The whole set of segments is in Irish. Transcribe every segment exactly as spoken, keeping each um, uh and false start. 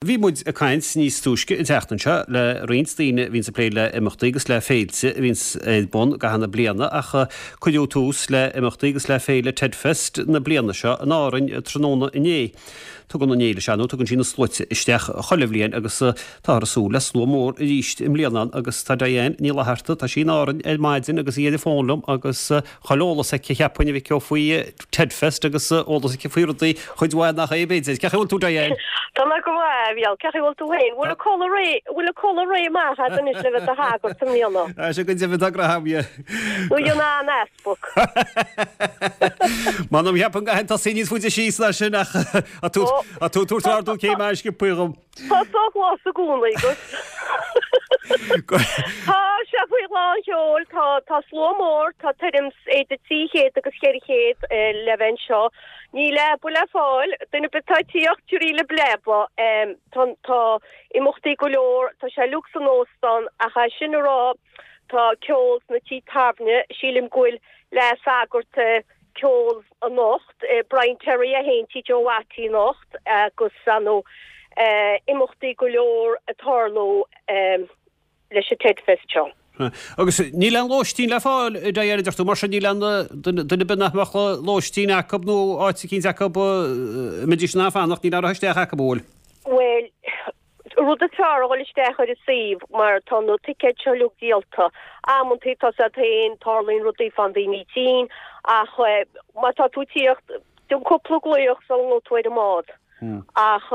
Bhí muid ag caint níos túisce an tseachtain seo le roinnt daoine a bhíonns ag plé le imeachtaí agus le féilte a bhíonns ar bun i gcaitheamh na bliana ach cuireadh tús le imeachtaí agus le féile Tedfest na bliana seo in Árainn tráthnóna inné. Tugann an fhéile seo nó tugann sí na sluaite isteach chuile bhliain agus táthar ag súil le slua mór arís i mbliana agus tá Diane Ní Fhlatharta, tá sí in Árainn ar maidin agus í ar an bhfón liom agus chuile eolas aici cheapfainn a mhic ó faoi Tedfest agus eolas aici faoi rudaí chuid mhaith nach é b'fhéidir. Cén chaoi a bhfuil tú Diane? Tá mé go maith, a Mhícheáil. Cén chaoi a bhfuil tú féin? Bhfuil an culaith réidh, bhfuil an culaith réidh amach agat anois le bheith i do shagart i mbliana? Tá sé go deimhin, tá grá agam. Nó an an easpag? M'anam cheapfainn go gcaithfinn tosaí níos faide síos ná sin ach tá tú ag tabhairt ardú céime sciobtha dhom. Tá só-ghlas i gcónaí agat. Tá sé faoi lán sheoil, tá tá slua mór, tá tuairim 's idir trí chéad agus cheithre chéad le bheith anseo. Níl leaba le fáil, duine ar bith atá ag tíocht, tiúraí libh leaba. Tá tá imeachtaí go leor, tá sé uilig san óstán ach é sin a rá tá ceol sna tithe tábhairne, sílim go bhfuil leathshagart ceol anocht, Brian Terry é féin Tigh Joe Watty anocht agus ar ndóigh imeachtaí go leor ag tarlú leis an Tedfest seo. Agus níl aon lóistín le fáil, a Diane, a deir tú, mar sin níl aon duine ar bith nach mbeadh lóistín acu nó áit eicínt acu a mbeidís in ann fanacht, níl aon rith isteach acu, an bhfuil? Bhuel, rud is fearr a dhul isteach ar an suíomh mar tá na ticéid seo uilig díolta. Amantaí tá siad féin, tarlaíonn rudaí faigheann daoine tinn ach má tá tú ag tíocht, déan cúpla glaoch sula ngabhfaidh tú ar an mbád. Ach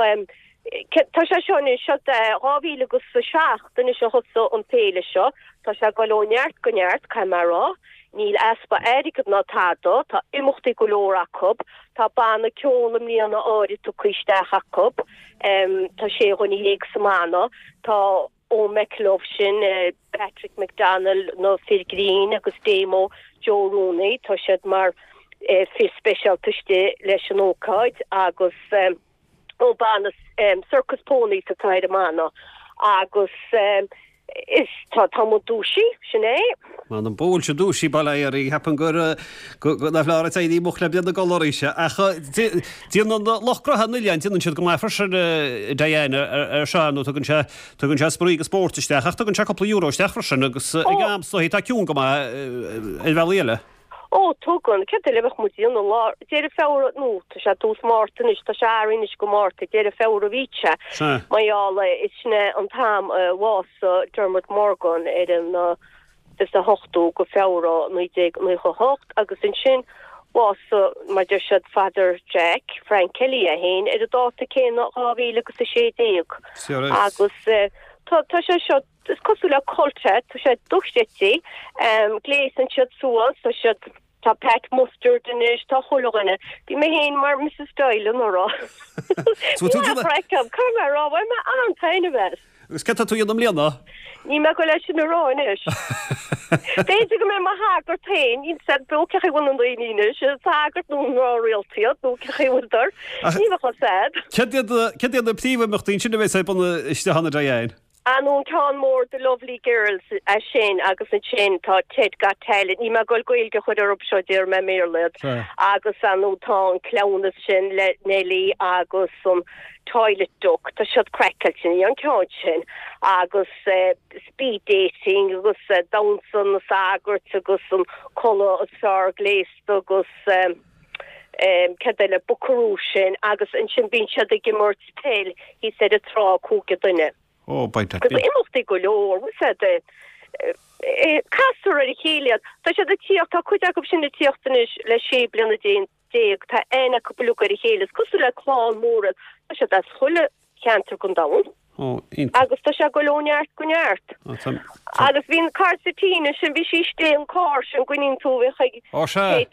tá sé seo anois, seo dhá mhíle agus a seacht anois a thosaigh an féile seo, tá sé ag dul ó neart go neart, caithfidh mé a rá. Níl easpa airgid ná tada, tá imeachtaí go leor acu, tá banna ceoil i mbliana áirid tugtha isteach acu, tá sé dhuine dhéag sa mbanna, tá Eoin McElduff sin, Patrick McDonnell, na fir grinn agus Damo Joe Rooney, tá siad mar fir speisialta istigh leis an ócáid agus ó banna Circus Ponies atá ar an mbanna agus is tá tá muid dúisithe, sin é. M'anam go bhfuil sibh dúisithe, bail ó Dhia oraibh, cheapfainn gur go nach leor ag éirí moch le bliain na gcodladh arís. Ach déanann lucht gnótha an oileáin, déanann siad go maith freisin, Diane, ar seo, nó tugann sé tugann sé spraoi agus spórt isteach, ach tugann sé cúpla euro isteach freisin agus ag am is dóichí tá ciúin go maith ar bhealaí eile. Ó, tugann. Céard eile a bheadh muid a dhéanamh lá Deireadh Feabhra, nó tá sé tús Márta anois, tá sé athraithe anois go Márta, Deireadh Feabhra a bhí sé. Mar gheall, is sin é an t-am a bhásaigh Dermot Morgan ar an fiche a hochtú go Feabhra naoi déag naocha a hocht agus ansin bhásaigh, mar deir siad, Father Jack, Frank Kelly é féin, ar an dáta céanna dhá mhíle agus a sé déag. Agus tá tá sé seo Is cosúil le cult é, tá sé dochreidte, gléasann siad suas, tá siad, tá Pat Mustard anois, tá chuile dhuine. Bhí mé féin mar Mrs Doyle anuraidh. Bhí an-chraic agam, caithfidh mé a rá, bhain mé an-taitneamh as. Agus céard tá tú a dhéanamh i mbliana? Níl mé ag goil é sin a rá anois. B'fhéidir go mbeidh mo shagart féin, níl 'fhios a'd cén chaoi a bhfuil na daoine anois, is sagart nó gnáthréalta iad nó cén chaoi a bhfuil Níl a fhios a'd. Céard iad na príomhimeachtaí ansin a bheas ar bun istigh ann, a Diane? Ar ndóigh an ceann mór The Lovely Girls é sin agus ansin tá Ted Got Talent, níl mé ag goil Gaeilge a chur orthu seo déarfaidh mé i mBéarla iad, agus ar ndóigh tá an cleamhnas sin le Nellie agus an Toilet Duck, tá siad craiceáilte an ceann sin agus speed dating agus damhsa na sagart agus an culaith is fearr gléasta agus céard eile, buckaroo sin agus ansin bíonn siad ag imirt peil thíos ar an trá cúigear duine. Ó, beidh that. Agus imeachtaí go leor, bhfuil 'fhios a'd, castar ar a chéile iad. Tá siad ag tíocht, tá cuid acu sin ag tíocht anois le sé bliana déag, tá aithne acu uilig ar a chéile, is cosúil le clann mór iad, tá siad as chuile cheantar den domhan. Ó, iontach. Agus tá sé ag goil ó neart go neart. Ó, tá, tá. Agus bhí an cara Tina sin, bhí sí istigh an carr sin, gcuimhníonn tú, bhíodh ag Ó, sea.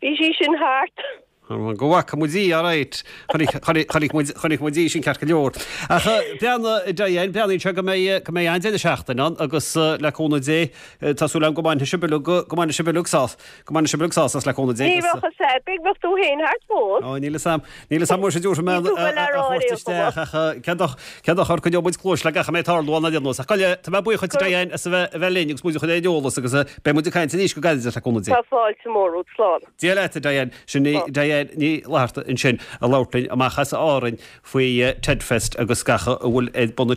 Bhí sí sin thart. Go bhfaca muid í, alright. Chonaic muid, chonaic muid í sin ceart go leor. Ach breathnaigh, Diane, breathnaíonn sé go mbeidh, go mbeidh an-deireadh seachtaine ann agus le cúnamh Dé, tá súil agam go mbainfidh sibh uilig, go mbainfidh sibh uilig sás, go mbainfidh sibh uilig sás as le cúnamh Dé Ní agus. bheadh fhios a'd, b'fhéidir go mbeadh tú féin thart fós. Ó, níl fhios a'm, níl fhios a'm muise dtiúrfaidh mé Níl tú a go leor thabhairt áirithe isteach ach cén dochar, coinneoidh muid cluais le gach a mbeidh ag tarlú ann ar aon nós. Ach gabh i leith, tá mé buíoch dhuit Diane as a bheith, a bheith linn agus muid a chur ar an eolas agus beidh muid ag caint arís go gairid le cúnamh Dé. Tá fáilte mór romhat, slán. Dia leat, a Diane. Sin í Diane. Diane Ní Fhlatharta ansin ag labhairt linn amach as Árainn faoi Tedfest agus gach a bhfuil ar bun.